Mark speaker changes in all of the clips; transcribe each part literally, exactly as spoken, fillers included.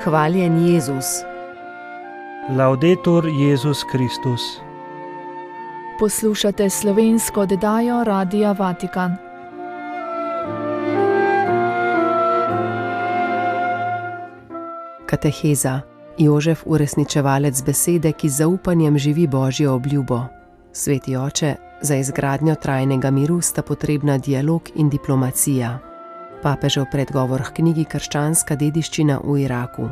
Speaker 1: Hvaljen Jezus.
Speaker 2: Laudetur Jezus Kristus.
Speaker 3: Poslušate slovensko oddajo Radia Vatikan.
Speaker 1: Kateheza. Jožef, uresničevalec besede, ki z zaupanjem živi Božjo obljubo. Sveti oče, za izgradnjo trajnega miru sta potrebna dialog in diplomacija. Papežev predgovor k knjigi Krščanska dediščina v Iraku.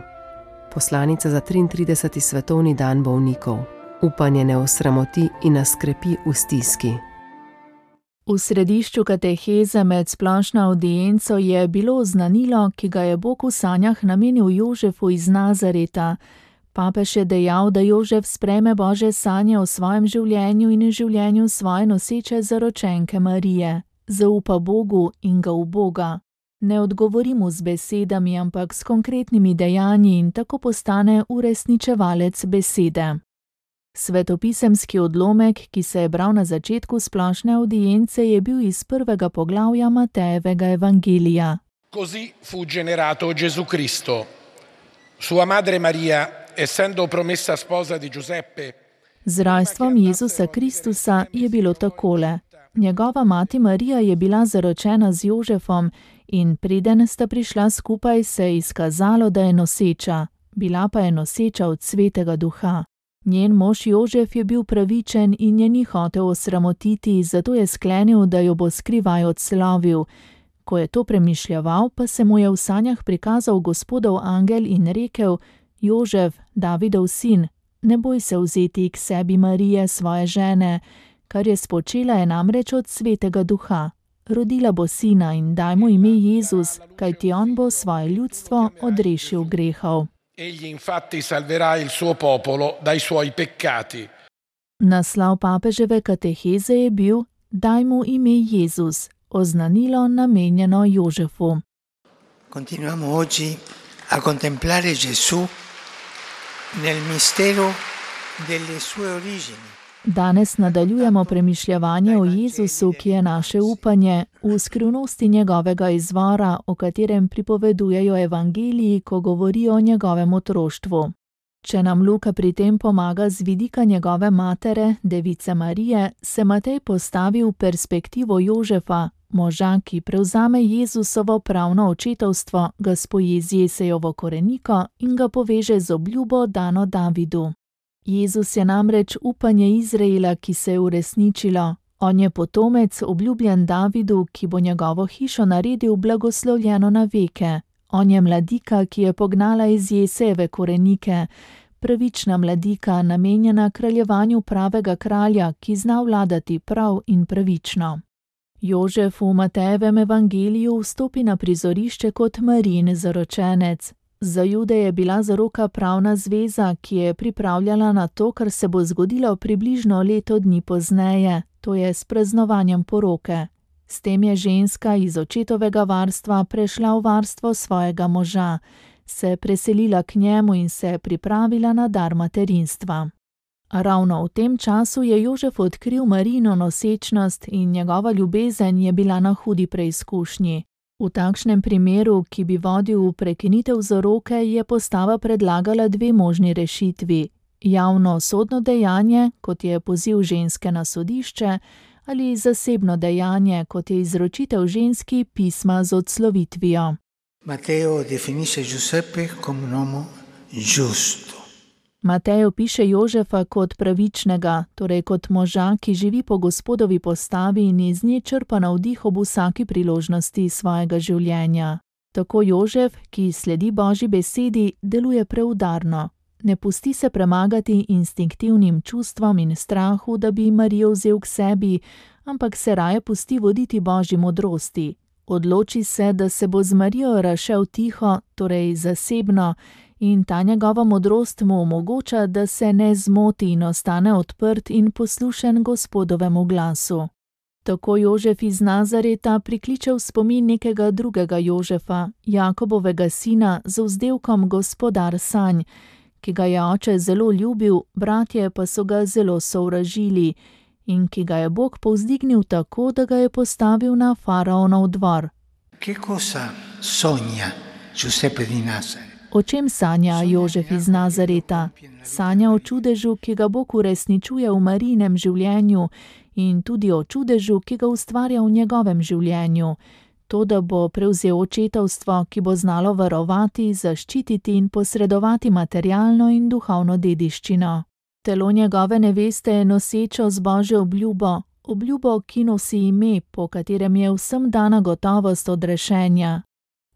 Speaker 1: Poslanica za triintrideseti svetovni dan bolnikov. Upanje ne osramoti in nas krepi v stiski.
Speaker 3: V središču kateheze med splošno avdienco je bilo oznanilo, ki ga je Bog v sanjah namenil Jožefu iz Nazareta. Papež je dejal, da Jožef sprejme Božje sanje o svojem življenju in življenju svoje noseče zaročenke Marije. Zaupa Bogu in ga uboga. Ne odgovori mu z besedami, ampak s konkretnimi dejanji in tako postane uresničevalec besede. Svetopisemski odlomek, ki se je bral na začetku splošne audience, je bil iz prvega poglavja Matejevega evangelija.
Speaker 4: Così fu generato Gesù Cristo. Sua madre Maria, essendo promessa sposa di Giuseppe.
Speaker 3: Z rojstvom Jezusa Kristusa je bilo takole. Njegova mati Marija je bila zaročena z Jožefom in preden sta prišla skupaj, se je izkazalo, da je noseča. Bila pa je noseča od Svetega Duha. Njen mož Jožef je bil pravičen in je ni hotel osramotiti, zato je sklenil, da jo bo skrivaj odslovil. Ko je to premišljeval, pa se mu je v sanjah prikazal Gospodov angel in rekel: Jožef, Davidov sin, ne boj se vzeti k sebi Marije, svoje žene, kar je spočela je namreč od Svetega Duha. Rodila bo sina in daj mu ime Jezus, kajti on bo svoje ljudstvo odrešil grehov.
Speaker 4: Egli infatti salverà il suo popolo dai suoi peccati.
Speaker 3: Naslov papeževe kateheze je bil: Daj mu ime Jezus, oznanilo namenjeno Jožefu.
Speaker 5: Continuiamo oggi a contemplare Gesù nel mistero delle sue origini.
Speaker 3: Danes nadaljujemo premišljevanje o Jezusu, ki je naše upanje, v skrivnosti njegovega izvora, o katerem pripovedujejo evangeliji, ko govorijo o njegovem otroštvu. Če nam Luka pri tem pomaga z vidika njegove matere, device Marije, se Matej postavi v perspektivo Jožefa, moža, ki prevzame Jezusovo pravno očetovstvo, ga spoji z Jesejovo koreniko in ga poveže z obljubo dano Davidu. Jezus je namreč upanje Izraela, ki se je uresničilo. On je potomec, obljubljen Davidu, ki bo njegovo hišo naredil blagoslovljeno na veke. On je mladika, ki je pognala iz Jesejeve korenike. Pravična mladika, namenjena kraljevanju pravega kralja, ki zna vladati prav in pravično. Jožef v Matejevem evangeliju vstopi na prizorišče kot Marijin zaročenec. Za Jude je bila zaroka pravna zveza, ki je pripravljala na to, kar se bo zgodilo približno leto dni pozneje, to je s praznovanjem poroke. S tem je ženska iz očetovega varstva prešla v varstvo svojega moža, se preselila k njemu in se pripravila na dar materinstva. Ravno v tem času je Jožef odkril Marijino nosečnost in njegova ljubezen je bila na hudi preizkušnji. V takšnem primeru, ki bi vodil v prekinitev zaroke, je postava predlagala dve možni rešitvi. Javno sodno dejanje, kot je poziv ženske na sodišče, ali zasebno dejanje, kot je izročitev ženski pisma z odslovitvijo.
Speaker 5: Mateo definisce Giuseppe come un uomo giusto.
Speaker 3: Matej opiše Jožefa kot pravičnega, torej kot moža, ki živi po Gospodovi postavi in iz nje črpa navdih ob vsaki priložnosti svojega življenja. Tako Jožef, ki sledi Božji besedi, deluje preudarno. Ne pusti se premagati instinktivnim čustvom in strahu, da bi Marijo vzel k sebi, ampak se raje pusti voditi Božji modrosti. Odloči se, da se bo z Marijo razšel tiho, torej zasebno, in ta njegova modrost mu omogoča, da se ne zmoti in ostane odprt in poslušen Gospodovemu glasu. Tako Jožef iz Nazareta prikliče v spomin nekega drugega Jožefa, Jakobovega sina z vzdevkom Gospodar sanj, ki ga je oče zelo ljubil, bratje pa so ga zelo sovražili, in ki ga je Bog povzdignil tako, da ga je postavil na faraonov dvor.
Speaker 5: Che cosa sogna Giuseppe di Nazaret?
Speaker 3: O čem sanja Jožef iz Nazareta? Sanja o čudežu, ki ga Bog uresničuje v Marijinem življenju, in tudi o čudežu, ki ga ustvarja v njegovem življenju. To, da bo prevzel očetovstvo, ki bo znalo varovati, zaščititi in posredovati materialno in duhovno dediščino. Telo njegove neveste je nosečo z Božjo obljubo, obljubo, ki nosi ime, po katerem je vsem dana gotovost odrešenja.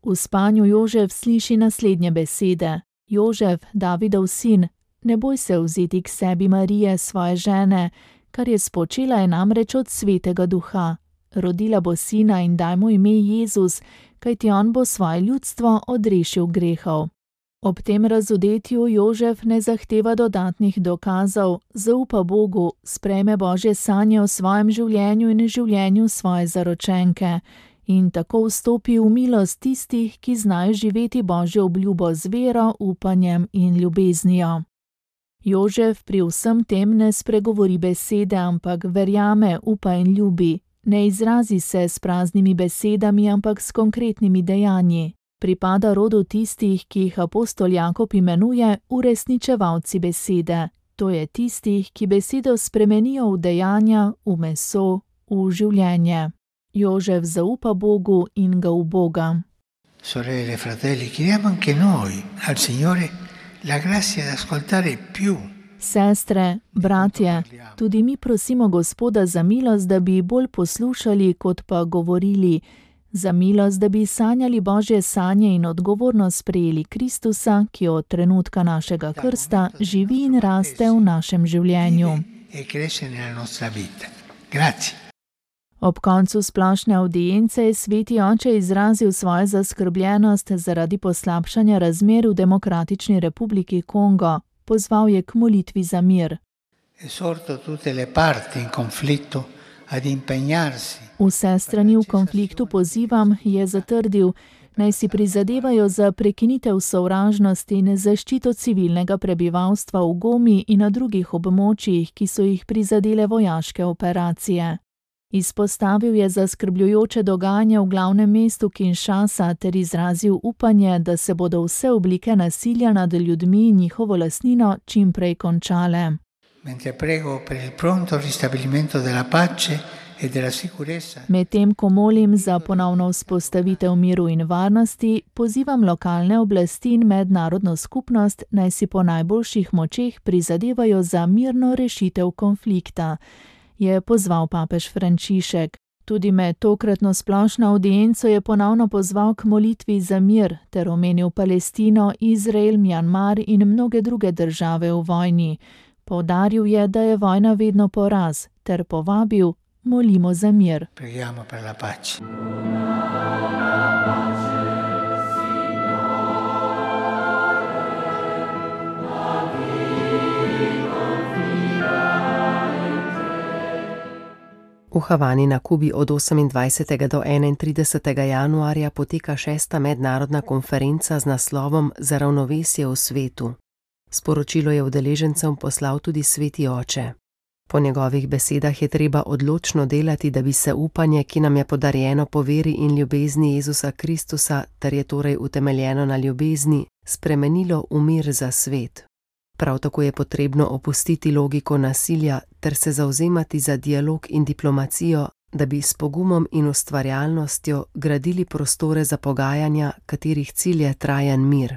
Speaker 3: V spanju Jožef sliši naslednje besede. Jožef, Davidov sin, ne boj se vzeti k sebi Marije, svoje žene, kar je spočela je namreč od svetega duha. Rodila bo sina in daj mu ime Jezus, kajti on bo svoje ljudstvo odrešil grehov. Ob tem razodetju Jožef ne zahteva dodatnih dokazov, zaupa Bogu, sprejme Božje sanje o svojem življenju in življenju svoje zaročenke in tako vstopi v milost tistih, ki znajo živeti Božjo obljubo z vero, upanjem in ljubeznijo. Jožef pri vsem tem ne spregovori besede, ampak verjame, upa in ljubi. Ne izrazi se s praznimi besedami, ampak s konkretnimi dejanji. Pripada rodu tistih, ki jih apostol Jakob imenuje uresničevalci besede. To je tistih, ki besedo spremenijo v dejanja, v meso, v življenje. Jožef zaupa Bogu in ga uboga.
Speaker 5: Sorelle, fratelli, chiediamo anche noi al Signore la grazia di ascoltare più.
Speaker 3: Sestre, bratje, tudi mi prosimo Gospoda za milost, da bi bolj poslušali, kot pa govorili, za milost, da bi sanjali Božje sanje in odgovorno sprejeli Kristusa, ki od trenutka našega krsta živi in raste v našem življenju. Ob koncu splošne avdience je sveti oče izrazil svojo zaskrbljenost zaradi poslabšanja razmer v Demokratični republiki Kongo. Pozval je k molitvi za mir. Vse strani v konfliktu pozivam, je zatrdil, naj si prizadevajo za prekinitev sovražnosti in zaščito civilnega prebivalstva v Gomi in na drugih območjih, ki so jih prizadele vojaške operacije. Izpostavil je zaskrbljujoče dogajanje v glavnem mestu Kinshasa ter izrazil upanje, da se bodo vse oblike nasilja nad ljudmi in njihovo lastnino čim prej končale. Medtem ko molim za ponovno vzpostavitev miru in varnosti, pozivam lokalne oblasti in mednarodno skupnost, naj si po najboljših močeh prizadevajo za mirno rešitev konflikta, je pozval papež Frančišek. Tudi med tokratno splošno avdienco je ponovno pozval k molitvi za mir ter omenil Palestino, Izrael, Mjanmar in mnoge druge države v vojni. Poudaril je, da je vojna vedno poraz, ter povabil, molimo za mir.
Speaker 5: Preghiamo per la pace.
Speaker 1: V Havani na Kubi od osemindvajsetega do enaintridesetega januarja poteka šesta mednarodna konferenca z naslovom Za ravnovesje v svetu. Sporočilo je udeležencem poslal tudi sveti oče. Po njegovih besedah je treba odločno delati, da bi se upanje, ki nam je podarjeno po veri in ljubezni Jezusa Kristusa, ter je torej utemeljeno na ljubezni, spremenilo v mir za svet. Prav tako je potrebno opustiti logiko nasilja ter se zavzemati za dialog in diplomacijo, da bi s pogumom in ustvarjalnostjo gradili prostore za pogajanja, katerih cilj je trajen mir.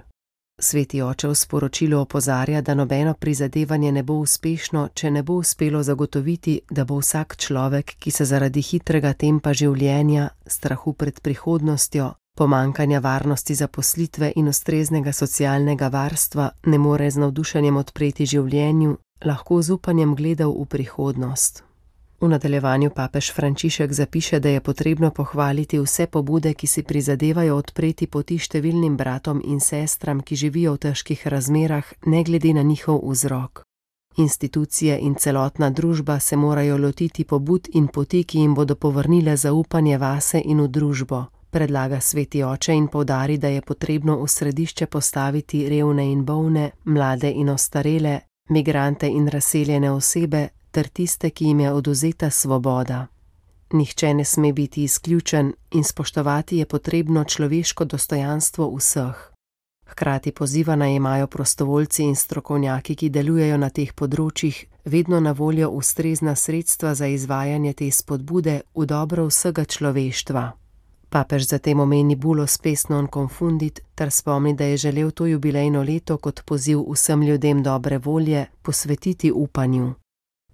Speaker 1: Sveti oče v sporočilu opozarja, da nobeno prizadevanje ne bo uspešno, če ne bo uspelo zagotoviti, da bo vsak človek, ki se zaradi hitrega tempa življenja, strahu pred prihodnostjo, pomanjkanja varnosti zaposlitve in ustreznega socialnega varstva ne more z navdušenjem odpreti življenju, lahko z upanjem gledal v prihodnost. V nadaljevanju papež Frančišek zapiše, da je potrebno pohvaliti vse pobude, ki si prizadevajo odpreti poti številnim bratom in sestram, ki živijo v težkih razmerah, ne glede na njihov vzrok. Institucije in celotna družba se morajo lotiti pobud in poti, ki jim bodo povrnile zaupanje vase in v družbo, predlaga sveti oče in poudari, da je potrebno v središče postaviti revne in bolne, mlade in ostarele, migrante in razseljene osebe, ter tiste, ki jim je odvzeta svoboda. Nihče ne sme biti izključen in spoštovati je potrebno človeško dostojanstvo vseh. Hkrati poziva naj imajo prostovoljci in strokovnjaki, ki delujejo na teh področjih, vedno na voljo ustrezna sredstva za izvajanje te spodbude v dobro vsega človeštva. Papež zatem omeni bulo Spes non confundit ter spomni, da je želel to jubilejno leto kot poziv vsem ljudem dobre volje posvetiti upanju.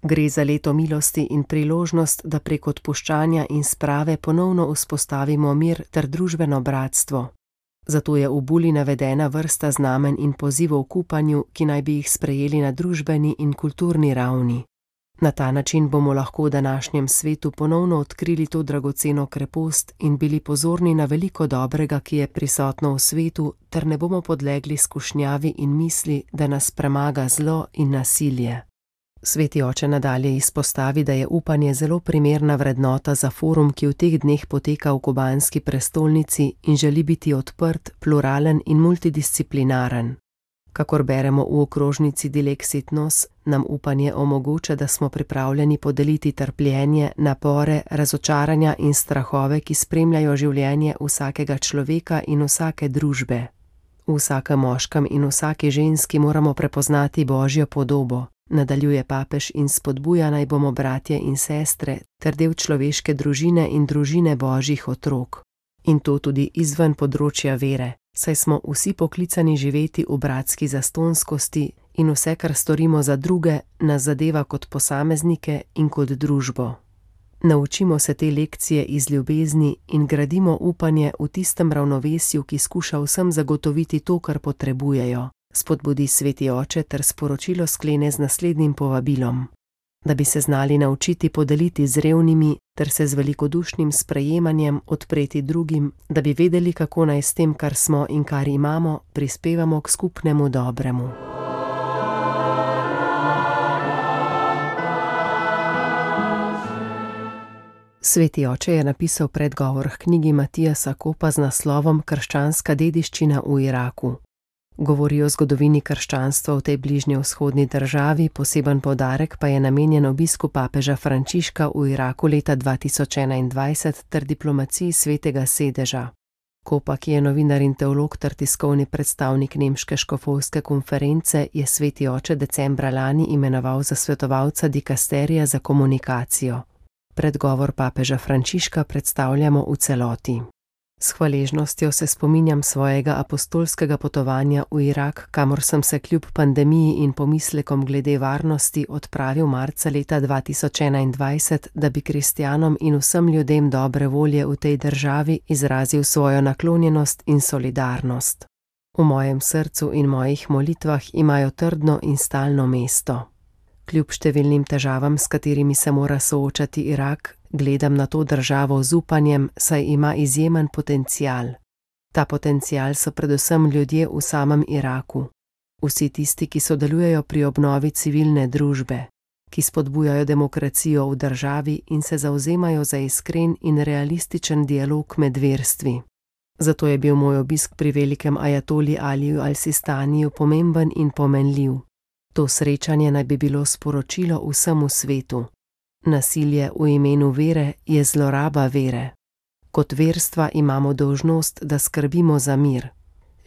Speaker 1: Gre za leto milosti in priložnost, da prek odpuščanja in sprave ponovno vzpostavimo mir ter družbeno bratstvo. Zato je v buli navedena vrsta znamen in pozivov k upanju, ki naj bi jih sprejeli na družbeni in kulturni ravni. Na ta način bomo lahko v današnjem svetu ponovno odkrili to dragoceno krepost in bili pozorni na veliko dobrega, ki je prisotno v svetu, ter ne bomo podlegli skušnjavi in misli, da nas premaga zlo in nasilje. Sveti oče nadalje izpostavi, da je upanje zelo primerna vrednota za forum, ki v teh dneh poteka v kubanski prestolnici in želi biti odprt, pluralen in multidisciplinaren. Kakor beremo v okrožnici Dilexit Nos, nam upanje omogoča, da smo pripravljeni podeliti trpljenje, napore, razočaranja in strahove, ki spremljajo življenje vsakega človeka in vsake družbe. V vsakem moškem in vsaki ženski moramo prepoznati Božjo podobo, nadaljuje papež in spodbuja naj bomo bratje in sestre ter del človeške družine in družine Božjih otrok. In to tudi izven področja vere, saj smo vsi poklicani živeti v bratski zastonskosti in vse, kar storimo za druge, nas zadeva kot posameznike in kot družbo. Naučimo se te lekcije iz ljubezni in gradimo upanje v tistem ravnovesju, ki skuša vsem zagotoviti to, kar potrebujejo, spodbudi sveti oče ter sporočilo sklene z naslednjim povabilom. Da bi se znali naučiti podeliti z revnimi ter se z velikodušnim sprejemanjem odpreti drugim, da bi vedeli, kako naj s tem, kar smo in kar imamo, prispevamo k skupnemu dobremu. Sveti oče je napisal predgovor k knjigi Matijasa Kopa z naslovom Krščanska dediščina v Iraku. Govori o zgodovini krščanstva v tej bližnjevzhodni državi, poseben poudarek pa je namenjen obisku papeža Frančiška v Iraku leta dva tisoč enaindvajset ter diplomaciji Svetega sedeža. Kopa, ki je novinar in teolog ter tiskovni predstavnik nemške škofovske konference, je sveti oče decembra lani imenoval za svetovalca dikasterija za komunikacijo. Predgovor papeža Frančiška predstavljamo v celoti. S hvaležnostjo se spominjam svojega apostolskega potovanja v Irak, kamor sem se kljub pandemiji in pomislekom glede varnosti odpravil marca leta dva tisoč enaindvajset, da bi kristjanom in vsem ljudem dobre volje v tej državi izrazil svojo naklonjenost in solidarnost. V mojem srcu in mojih molitvah imajo trdno in stalno mesto. Kljub številnim težavam, s katerimi se mora soočati Irak, gledam na to državo z upanjem, saj ima izjemen potencial. Ta potencial so predvsem ljudje v samem Iraku. Vsi tisti, ki sodelujejo pri obnovi civilne družbe, ki spodbujajo demokracijo v državi in se zavzemajo za iskren in realističen dialog med verstvi. Zato je bil moj obisk pri velikem ajatoli Aliju al-Sistaniju pomemben in pomenljiv. To srečanje naj bi bilo sporočilo vsemu svetu. Nasilje v imenu vere je zloraba vere. Kot verstva imamo dolžnost, da skrbimo za mir.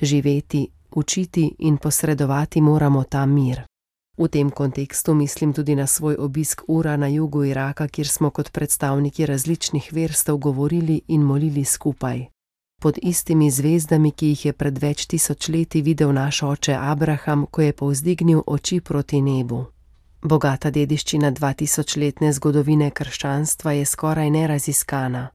Speaker 1: Živeti, učiti in posredovati moramo ta mir. V tem kontekstu mislim tudi na svoj obisk Ura na jugu Iraka, kjer smo kot predstavniki različnih verstev govorili in molili skupaj. Pod istimi zvezdami, ki jih je pred več tisoč leti videl naš oče Abraham, ko je povzdignil oči proti nebu. Bogata dediščina dvatisočletne zgodovine krščanstva je skoraj neraziskana.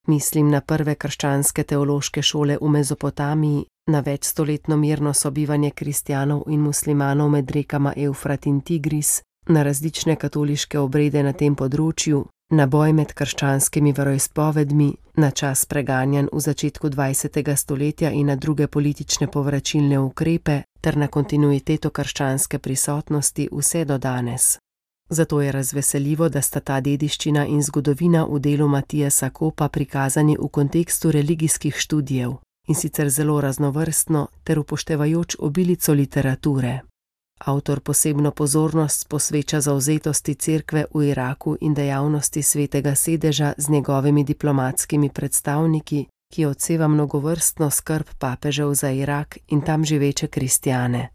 Speaker 1: Mislim na prve krščanske teološke šole v Mezopotamiji, na večstoletno mirno sobivanje kristjanov in muslimanov med rekama Evfrat in Tigris, na različne katoliške obrede na tem področju, na boj med krščanskimi veroizpovedmi, na čas preganjanj v začetku dvajsetega stoletja in na druge politične povračilne ukrepe, ter na kontinuiteto krščanske prisotnosti vse do danes. Zato je razveseljivo, da sta ta dediščina in zgodovina v delu Matijasa Kopa prikazani v kontekstu religijskih študijev, in sicer zelo raznovrstno ter upoštevajoč obilico literature. Avtor posebno pozornost posveča zavzetosti cerkve v Iraku in dejavnosti Svetega sedeža z njegovimi diplomatskimi predstavniki, ki odseva mnogovrstno skrb papežev za Irak in tam živeče kristjane.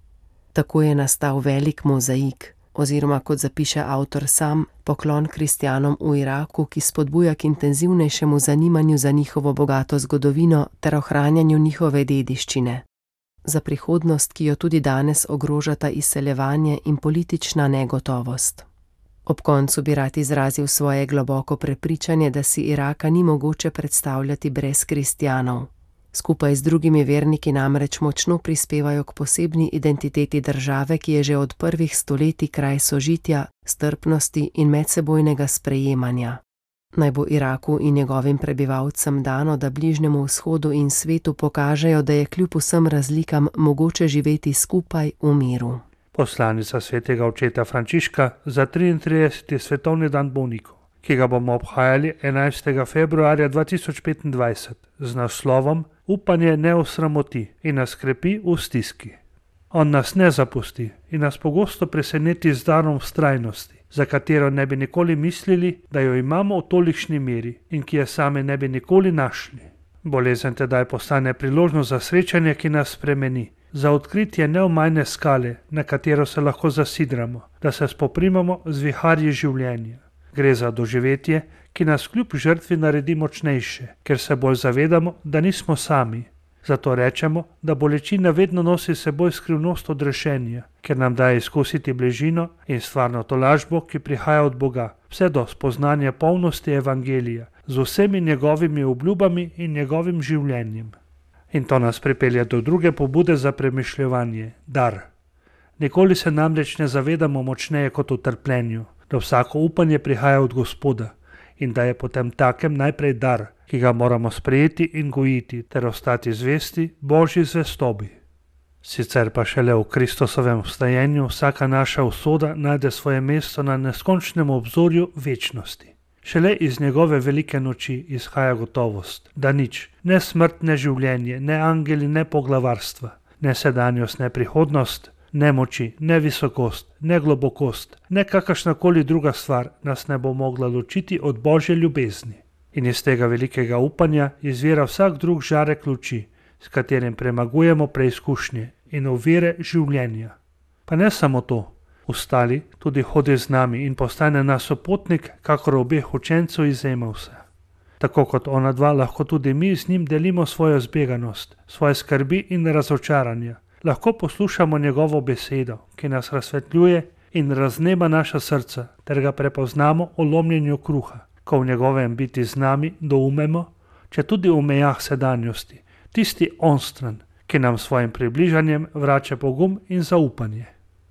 Speaker 1: Tako je nastal velik mozaik, oziroma kot zapiše avtor sam, poklon kristjanom v Iraku, ki spodbuja k intenzivnejšemu zanimanju za njihovo bogato zgodovino ter ohranjanju njihove dediščine. Za prihodnost, ki jo tudi danes ogrožata izseljevanje in politična negotovost. Ob koncu bi rad izrazil svoje globoko prepričanje, da si Iraka ni mogoče predstavljati brez kristjanov. Skupaj z drugimi verniki namreč močno prispevajo k posebni identiteti države, ki je že od prvih stoletij kraj sožitja, strpnosti in medsebojnega sprejemanja. Naj bo Iraku in njegovim prebivalcem dano, da Bližnjemu vzhodu in svetu pokažejo, da je kljub vsem razlikam mogoče živeti skupaj v miru.
Speaker 2: Poslanica svetega očeta Frančiška za triintrideseti svetovni dan bolnikov, ki ga bomo obhajali enajstega februarja dva tisoč petindvajset z naslovom Upanje ne osramoti in nas krepi v stiski. On nas ne zapusti in nas pogosto preseneti z darom vztrajnosti, za katero ne bi nikoli mislili, da jo imamo v tolikšni meri in ki je same ne bi nikoli našli. Bolezen tedaj postane priložnost za srečanje, ki nas spremeni, za odkritje neomajne skale, na katero se lahko zasidramo, da se spoprimamo z viharji življenja. Gre za doživetje, ki nas kljub žrtvi naredi močnejše, ker se bolj zavedamo, da nismo sami. Zato rečemo, da bolečina vedno nosi seboj skrivnost odrešenja, ker nam daje izkusiti bližino in stvarno tolažbo, ki prihaja od Boga, vse do spoznanja polnosti evangelija, z vsemi njegovimi obljubami in njegovim življenjem. In to nas pripelje do druge pobude za premišljevanje, dar. Nikoli se namreč ne zavedamo močneje kot v trpljenju, da vsako upanje prihaja od Gospoda in da je potem takem najprej dar, ki ga moramo sprejeti in gojiti ter ostati zvesti Božji zvestobi. Sicer pa šele v Kristusovem vstajenju vsaka naša usoda najde svoje mesto na neskončnem obzorju večnosti. Šele iz njegove velike noči izhaja gotovost, da nič, ne smrt, ne življenje, ne angeli, ne poglavarstva, ne sedanjost, ne prihodnost, ne moči, ne visokost, ne globokost, ne kakršnakoli druga stvar nas ne bo mogla ločiti od Božje ljubezni. In iz tega velikega upanja izvira vsak drug žarek luči, s katerim premagujemo preizkušnje in ovire življenja. Pa ne samo to, ostali tudi hodi z nami in postane nas sopotnik, kakor obeh učencev iz Emausa. Tako kot ona dva, lahko tudi mi z njim delimo svojo zbeganost, svoje skrbi in razočaranja. Lahko poslušamo njegovo besedo, ki nas razsvetljuje in razneba naša srca, ter ga prepoznamo o lomljenju kruha, ko v njegovem biti z nami doumemo, če tudi v mejah sedanjosti, tisti onstran, ki nam svojim približanjem vrača pogum in zaupanje.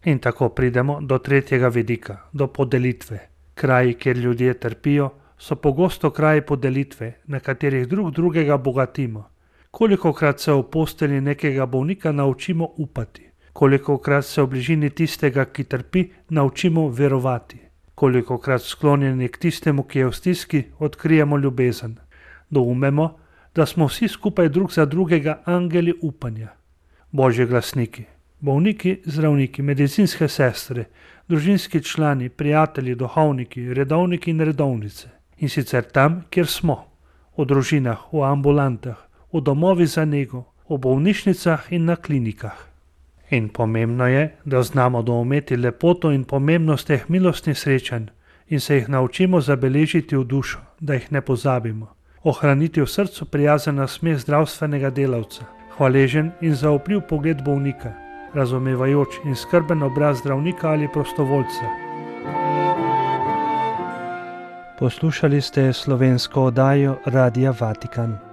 Speaker 2: In tako pridemo do tretjega vidika, do podelitve. Kraji, kjer ljudje trpijo, so pogosto kraji podelitve, na katerih drug drugega bogatimo. Kolikokrat se v postelji nekega bolnika naučimo upati, kolikokrat se v bližini tistega, ki trpi, naučimo verovati, kolikokrat sklonjeni k tistemu, ki je v stiski, odkrijemo ljubezen. Doumemo, da smo vsi skupaj drug za drugega angeli upanja. Božji glasniki, bolniki, zdravniki, medicinske sestre, družinski člani, prijatelji, duhovniki, redovniki in redovnice. In sicer tam, kjer smo, v družinah, v ambulantah, v domovi za nego, v bolnišnicah in na klinikah. In pomembno je, da znamo doumeti lepoto in pomembnost teh milostnih srečanj in se jih naučimo zabeležiti v dušo, da jih ne pozabimo. Ohraniti v srcu prijazen nasmeh zdravstvenega delavca, hvaležen in zaupljiv pogled bolnika, razumevajoč in skrben obraz zdravnika ali prostovoljca.
Speaker 6: Poslušali ste slovensko oddajo Radia Vatikan.